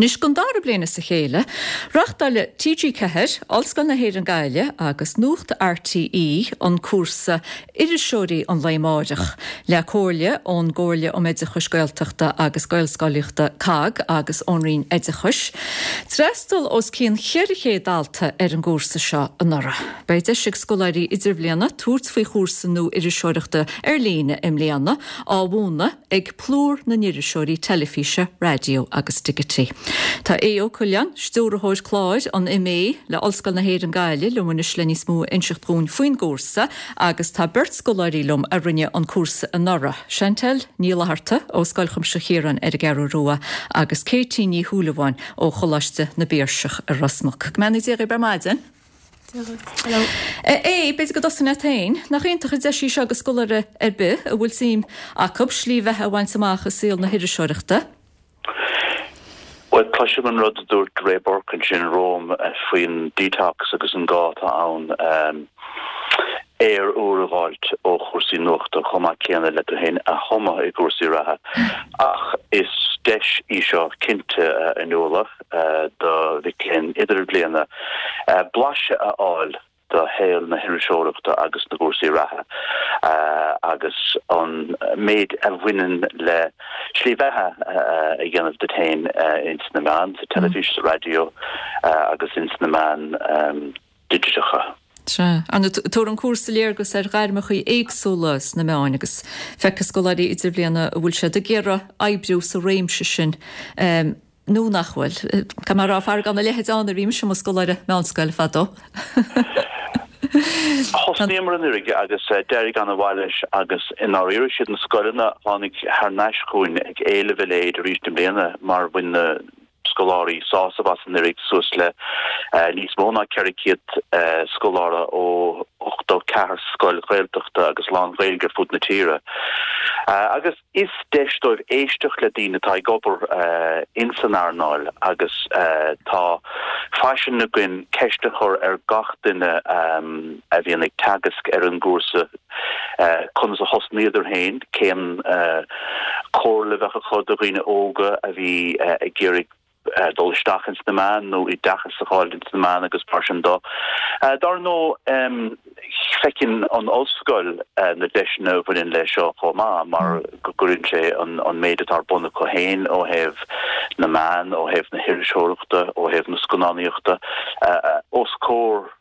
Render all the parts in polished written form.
Anois, don dara bliain as a chéile, reáchtáil TG4, Ollscoil na hÉireann Gaillimh agus Nuacht RTÉ an cúrsa Iriseoirí an Lae Amáireach, le comhairle ón gComhairle um Oideachais Gaeltachta agus Gaelscolaíochta, COGG, agus ón Roinn Oideachais. D'fhreastail os cionn 400 dalta ar an gcúrsa seo anuraidh. Beidh deis ag scoláirí idirbhliana tabhairt faoi chúrsa nua iriseoireachta ar líne i mbliana, á mhúineadh ag plúr na n-iriseoirí teilifíse, raidió agus digití. Tá Aodh Ó Coileáin, Stiúrthóir Cláir an MA le Ollscoil na hÉireann Gaillimh liom anois le níos mó a inseacht dhúinn faoin gcúrsa agus tá beirt scoláirí liom a rinne an cúrsa anuraidh, Chantel Ní Fhlatharta ó Scoil Chuimsitheach Chiaráin ar an gCeathrú Rua agus Katie Ní Shúilleabháin ó Choláiste na bPiarsach i Ros Muc. Go mbeannaí Dia dhaoibh ar maidin. Hello. A Aodh, b'fhéidir go dtosóinn leat féin. Nach iontach an deis í seo do scoláire ar bith a bhfuil suim acu slí bheatha a bhaint amach i saol na hiriseoireachta? Bhuel, cloisim an rud a dúirt Ray Burke ansin romham faoin detox agus an gá atá ann aer úr a dh'fháilt ó chúrsaí nuachta chomh maith céanna le tú féin a thumadh i gcúrsaí reatha. Ach is deis í seo cinnte, a Fhionnuala. do mhic léinn idirbhliana blaiseadh a fháil de shaol na hiriseoireachta agus na gcúrsaí reatha agus an méid a bhaineann le slí bheatha a dhéanamh duit féin ins na meáin, sa teilifís, sa raidió agus ins na meáin digiteacha. Sea. Ar ndóigh, tabharfaidh an cúrsa léargas ar ghairmeacha éagsúla sna meáin agus feicfidh scoláirí idirbhliana an bhfuil siad ag iarraidh oibriú sa réimse sin nó nach bhfuil. Caithfidh mé a rá, faraor gan a leithéid ann nuair a bhí mise i mo scoláire meánscoile fadó. Thosnaíomar anuraidh agus d'éirigh an-mhaith leis agus i ndáiríre siad na scoileanna a tháinig thar n-ais chugainn ag éileamh a leithéid arís i mbliana mar bhain na scoláirí sásamh as anuraidh, suas le níos mó ná 400 scoláire ó 84 scoil Ghaeltachta agus lán-Ghaeilge ar fud na tíre. Agus. Is deis dóibh éisteacht le daoine atá ag obair ins an earnáil agus tá faisean againn ceist a chur ar gach duine a bhíonn ag teagasc ar an gcúrsa conas a thosnaíodar féin, cén comhairle a bheadh acu do dhaoine óga a bhí ag iarraidh dul isteach ins na meáin nó oideachas a fháil ins na meáin agus mar sin de. Dar ndóigh, feiceann an ollscoil na deiseanna a bhaineann le seo chomh maith mar go gcuireann sé an méid atá ar bun acu féin ó thaobh na meán, ó thaobh na hiriseoireachta, ó thaobh na scannánaíochta os comhair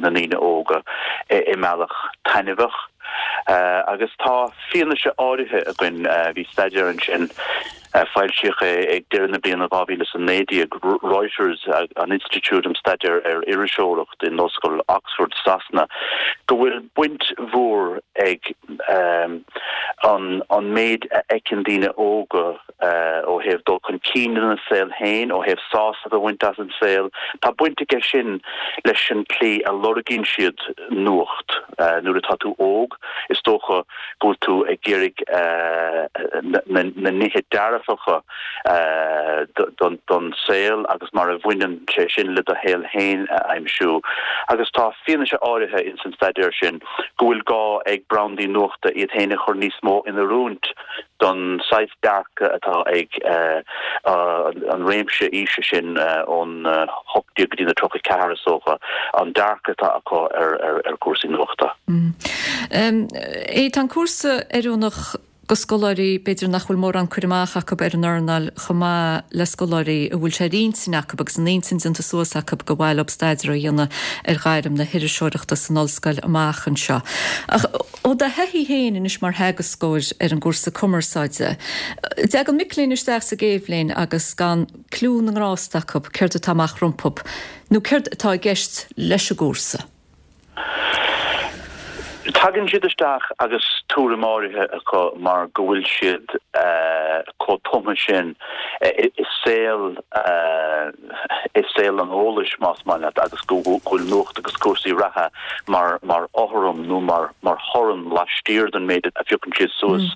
na ndaoine óga i mbealach taitneamhach. Agus tá fianaise áirithe againn, bhí staidéar ansin, Foilsíodh é ag deireadh na bliana 2019. Reuters, an Institiúid um Staidéar ar Iriseoireacht in Ollscoil Oxford, Sasana, go bhfuil baint mhór ag an méid a fheiceann daoine óga ó thaobh dul chun cinn ina saol féin, ó thaobh sásamh a bhaint as an saol. Tá baint aige sin leis an tslí a lorgaíonn siad nuacht. Nuair atá tú óg, is dócha, go bhfuil tú ag iarraidh na nithe dearfacha don saol agus mar a bhaineann sé sin le do shaol féin a aimsiú. Agus tá fianaise áirithe ins an staidéar sin go bhfuil gá ag brandaí nuachta iad féin a chur níos mó in oiriúint don saghas dearcadh atá ag an réimse aoise sin ón 18 go dtí na 34 is dócha, an dearcadh atá acu ar chúrsaí nuachta. Aodh, tá an cúrsa oiriúnach do scoláirí b'fhéidir nach bhfuil mórán cur amach acu ar an earnáil chomh maith le scoláirí a bhfuil sé ar intinn acu agus an intinn déanta suas acu gur mhaith leo staidéar a dhéanamh ar ghairm na hiriseoireachta san ollscoil amach anseo. Ach Ó do thaithí féin anois mar theagascóir ar an gcúrsa cumarsáide, dtagann mic léinn isteach sa gcéad bhliain agus gan cliú na ngrást acu céard atá amach rompu nó céard atá i gceist leis an gcúrsa? Tagann siad isteach agus tuairim áirithe acu mar go bhfuil siad chomh tumtha sin i saol i saol an eolais, más maith leat, agus go bhfuil nuacht agus cúrsaí reatha mar mar fhothram nó mar mar thorann laistiar den méid a phiocann siad suas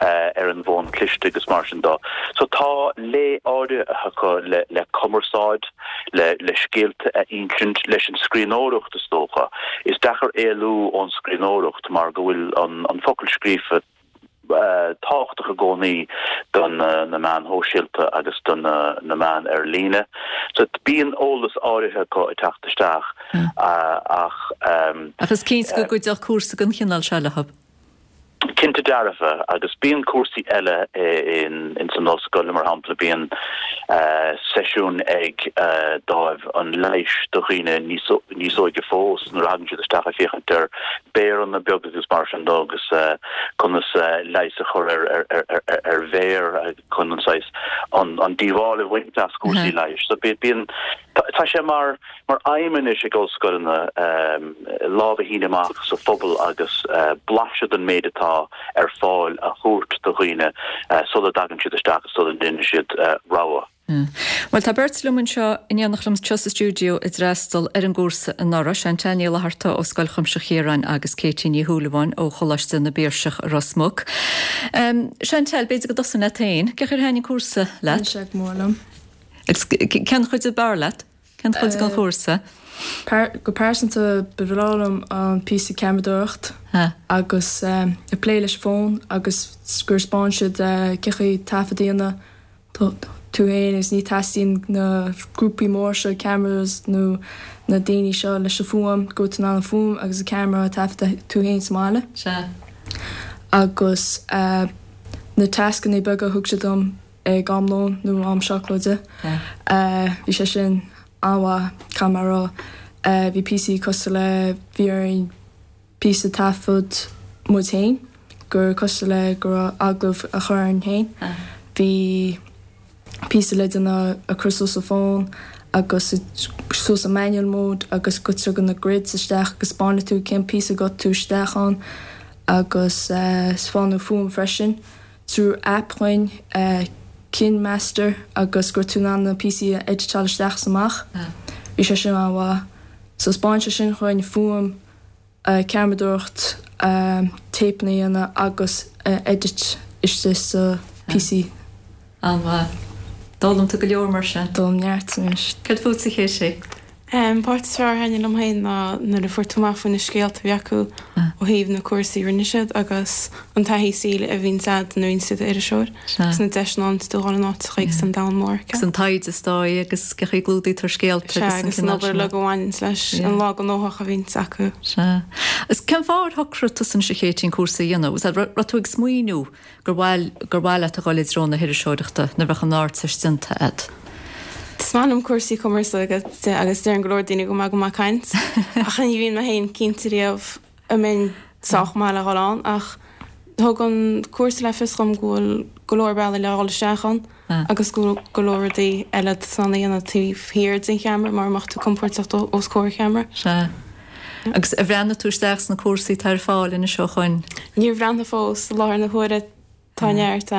ar an bhfón cliste agus mar sin de. So tá lé áirithe acu le le cumarsáid, le le scéalta a insint, leis an scríbhneoireacht is dócha. Is deacair éalú ón scríbhneoireacht mar go bhfuil an an focal scríofa. tábhachtach i gcónaí do na meáin shóisialta agus do na meáin ar líne. So bíonn eolas áirithe acu ag teacht isteach ach. Ach is cinnte go gcuideodh cúrsa den chineál seo leo. Cinnte dearfa, agus bíonn cúrsaí eile ins an ollscoil, mar shampla bíonn seisiún ag dáimh an leighis do dhaoine níos óige fós nuair a thagann siad isteach ag féachaint ar béaranna beaga agus mar sin de agus conas leigheas a chur ar bhéar chun an saghas an díobháil a bhaint as cúrsaí leighis. So bíonn, tá sé mar mar aidhm anois ag ollscoileanna lámh a shíneadh amach sa phobal agus blaiseadh den méid atá ar fáil a thabhairt do dhaoine sula dtagann siad isteach agus sula ndéanann siad rogha. Bhuel, tá beirt liom anseo in éineacht liom anseo sa stiúideo a d'fhreastal ar an gcúrsa anuraidh, Chantal Ní Fhlatharta ó Scoil Chuimsitheach Chiaráin agus Katie Ní Shúilleabháin ó Choláiste na bPiarsach i Ros Muc. Chantal, b'fhéidir go dtosóinn leat féin. Cén chaoi ar thaitin an cúrsa leat? Thaitin sé go mór liom. Agus cén chuid ab fhearr leat? Cén chuid den chúrsa? Go pearsanta, ba bhreá liom an píosa ceamaradóireacht agus ag plé leis an bhfón agus gur 'spáin siad cén chaoi taifead a dhéanamh tú féin agus ní teastaíonn na grúpaí mór seo cameras nó na daoine seo leis an fuaim, go bhfuil tú in ann an fuaim agus an ceamara a taifeadadh tú féin sa mbaile. Sea. Agus na tascanna beaga a thug siad dom ag am lóin nó am seacláide, bhí sé sin an-mhaith, caithfidh mé a rá. Bhí píosaí cosúil le bhí orainn píosa taifead muid féin, gur cosúil le go raibh agallamh a chur orainn féin. Bhí píosa le déanamh ag cur suas an fón agus suas an manual mode agus go dtugann na grids isteach agus 'spáineann tú cén píosa go tú isteach ann agus 'spáineadh fuaim freisin trú app dhuinn KineMaster agus go raibh tú in ann na píosaí a editeáil isteach is amach. Bhí sé sin an-mhaith. So 'spáin sé sin dhuinn fuaim ceamaradóireacht, téipeanna a dhéanamh agus edit istigh sa PC. An-mhaith. D'fhoghlaim tú go leor mar sin. D'fhoghlaim neart anois. Céard fútsa a Katie? An páirt is fearr a thaitnigh liom féin ná nuair a fuair tú amach faoi na scéalta a bhí acu ó thaobh na cúrsaí a rinne siad agus an taithí saoil a bhíonns a'd nuair a bhíonns tú i d'iriseoir agus na deiseanna ann tú dhul in áiteacha agus an domhan mór acu. Agus an taighde is dóigh agus cén chaoi a gclúdaítear scéalta agus an cineál sin. Sea, agus an obair uilig a bhaineanns leis an lá gnóthach a bhíonns acu. Sea. Agus cén fáth ar shocraigh tusa anois a Katie an cúrsa a dhéanamh? Was that, raibh tú ag smaoineamh gur mhaith, gur mhaith leat a dhul i dtreo na hiriseoireachta nuair a bheadh an Ardteist déanta a'd? Is maith liom cúrsaí cumarsáide agus deireann go leor daoine go maith go maith caint ach ní bhíonn mé féin cinnte riamh an mbeinn sách maith le dhul ann ach thug an cúrsa le fios dhom go bhfuil go leor bealaí le dhul isteach ann agus go bhfuil go leor rudaí eile atá tú in ann a dhéanamh taobh thiar den cheamara mura mbeadh tú compordach os comhair cheamara. Sea. Agus ar bhreathnaigh tú isteach sna cúrsaí atá ar fáil anois ó shoin? Níor bhreathnaigh fós. I láthair na huaire tá neart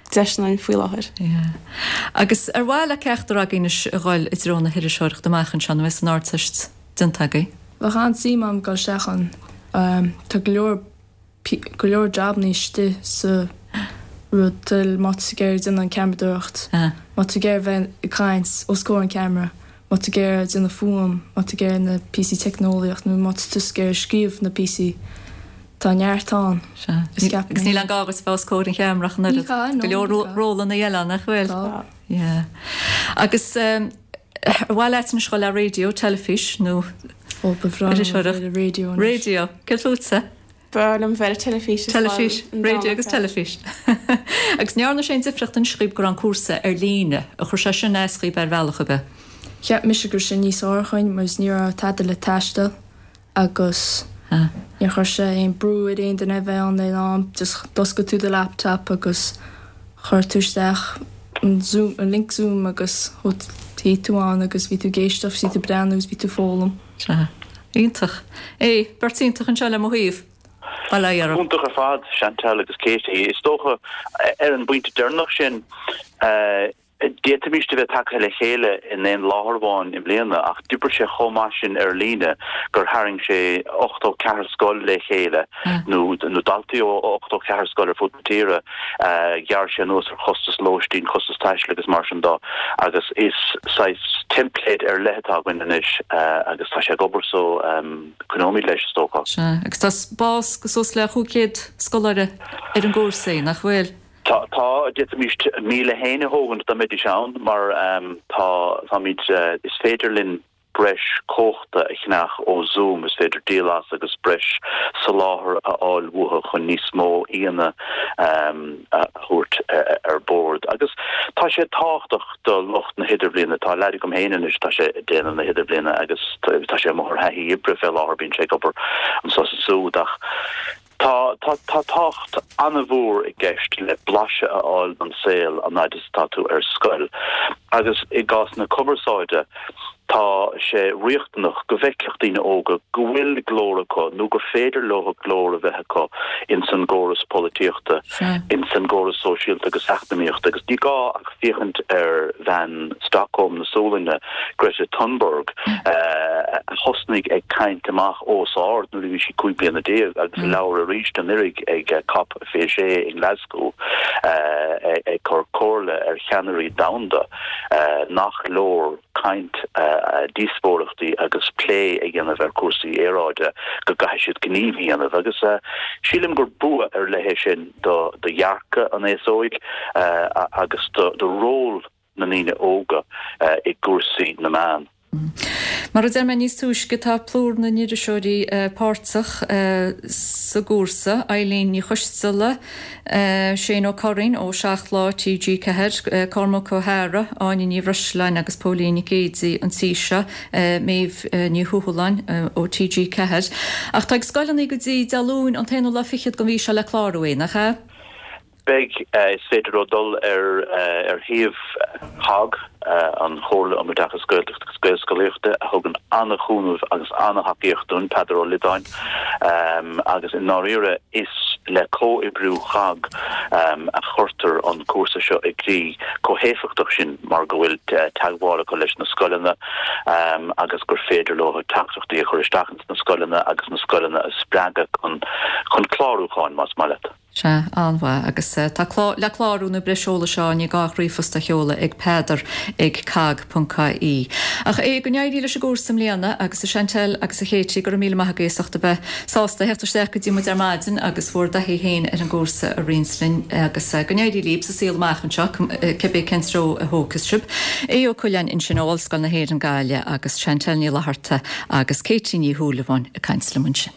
deiseanna ann faoi láthair. Yeah. Agus ar mhaith le ceachtar agaibh anois a dhul i dtreo na hiriseoireachta amach anseo nuair a bheas an Ardteist déanta agaibh? Bheadh an-suim agam dul isteach ann. Tá go leor go leor jabannaí istigh sa rud toil má tá tú ag iarraidh déanamh an ceamaradóireacht, má tá tú ag iarraidh bheith ag caint os comhair an ceamara, má tá tú ag iarraidh déanamh fuaim, má tá tú ag iarraidh na píosaí teicneolaíocht nó má tá tú ag iarraidh scríobh na píosaí. Tá neart ann. Sea. Is ceapaim. Agus níl aon gá duit bheith os comhair an cheamara ach an oiread. Ní gá, no. Go leor rólanna eile ann, nach bhfuil? Tá. Yeah. Agus ar mhaith leat anois dhul le raidió, teilifís nó Ó, ba bhreá liom a bheith le raidió anois. Raidió. Céard fútsa? Ba bhreá liom bheith le teilifís as well. Teilifís, raidió agus teilifís. Agus an ndearna sé aon difríocht anois dhaoib go raibh an cúrsa ar líne? Ar chuir sé sin as dhaoib ar bhealach ar bith? Cheap mise go raibh sé níos fearr chuinn mar is ní raibh tada le taisteal. agus níor chuir sé aon brú ar aon duine a bheith ann ag an am, just d'oscail tú do laptop agus chuir tú isteach an zoom, an link zoom agus shuigh tú ann agus bhí tú ag éisteacht, bhí tú ag breathnú agus bhí tú ag foghlaim. Sea. Iontach. Éi, beirt iontach anseo le mo thaobh. Bail ó Dhia oraibh. Iontach ar fad, Chantal agus Katie. Is dócha, ar an bpointe deireanach sin, eh. D'fhéadfaimis a bheith tagtha le chéile in aon láthair amháin i mbliana ach d'oibrigh sé chomh maith sin ar líne gur tharraing sé 84 scoil le chéile, nó daltaí ó 84 scoil ar fud na tíre. Ghearr sé anuas ar chostas lóistín, costas taistil agus mar sin de agus is saghas teimpléad ar leith atá againn anois agus tá sé ag obair so coinneoimid leis is dócha. Sea, agus tá spás do suas le 500 scoláire ar an gcúrsa, nach bhfuil? Tá, tá, d'fhéadfaimis 1,000 féin a thógaint dá mbeidís ann mar tá, táimid, is féidir linn breis cumhachta a cheannach ó Zoom, is féidir díol as agus breis soláthair a fháil uathu chun níos mó aíonna a thabhairt ar bord. Agus tá sé tábhachtach do lucht na hidirbhliana, tá leaid agam féin anois, tá sé ag déanamh na hidirbhliana agus tá sé amuigh ar thaithí oibre fé láthair, bíonn sé ag obair anso is ansúd ach, Tá, tá, tá tábhacht an-mhór i gceist le blaiseadh a fháil den saol an fhaid is atá tú ar scoil. Agus i gcás na cumarsáide, tá sé riachtanach go bhfeicfeadh daoine óga go bhfuil glór acu nó gur féidir leo glór a bheith acu ins an gcóras polaitíochta, ins an gcóras sóisialta agus eacnamaíochta. Agus ní gá ach féachaint ar bhean Stockholm na Sualainne, Greta Thunberg, a thosnaigh ag caint amach os ard nuair a bhí sí 15 bliana agus a labhair arís anuraidh ag Cop 26 i nGlasgow ag cur comhairle ar cheannairí domhanda nach leor caint, díospóireachtaí agus plé a dhéanamh ar chúrsaí aeráide, go gcaithfidh siad gníomh a dhéanamh. Agus sílim gur bua ar leith é sin do dhearcadh an aos óig agus do ról na ndaoine óga i gcúrsaí na meán. Mar a deir mé níos túisce, tá plúr na n-iriseoirí páirteach sa gcúrsa, Eileen Ní Choisteala, Shane Ó Curraoin ó 7 Lá, TG4, Cormac Ó hEára, Áine Ní Bhreisleáin agus Póilín Nic Géidigh an tí seo, Méabh Ní Thuathaláin ó TG4. Ach tá ag scoileanna go dtí Dé Luain an t-aonú lá fichead den mhí seo le clárú, nach ea? Beidh. Is féidir leo dul ar ar shuíomh COGG, an Chomhairle um Oideachas Gaeltachta agus Gaelscolaíochta, a thugann an-chúnamh agus an-thacaíocht dúinn, Peadar Ó Loideáin, agus i ndáiríre is le comhoibriú COGG a chuirtear an cúrsa seo i gcrích chomh héifeachtach sin mar go bhfuil teagmháil acu leis na scoileanna agus gur féidir leo teachtaireachtaí a chur isteach ins na scoileanna agus na scoileanna a spreagadh chun chun clárúcháin, más maith leat. Sea, an-mhaith. Agus tá clá, le clárú nó breis eolais a fháil, ní gá ach ríomhphost a sheoladh ag peadar ag cogg ponc ie. Ach é, go n-éirí leis an gcúrsa i mbliana, agus a Chantelle agus a Katie, go raibh míle maith agaibh as ucht a bheith sásta a theacht isteach go dtí muid ar maidin agus bhur dtaithí féin ar an gcúrsa a roinnt linn agus go n-éirí libh sa saol amach anseo, cibé cén treo a thógfas sibh. Aodh Ó Coileáin ansin ó Ollscoil na hÉireann Gaillimh agus Chantelle Ní Fhlatharta agus Katie Ní Shúilleabháin ag caint liom ansin.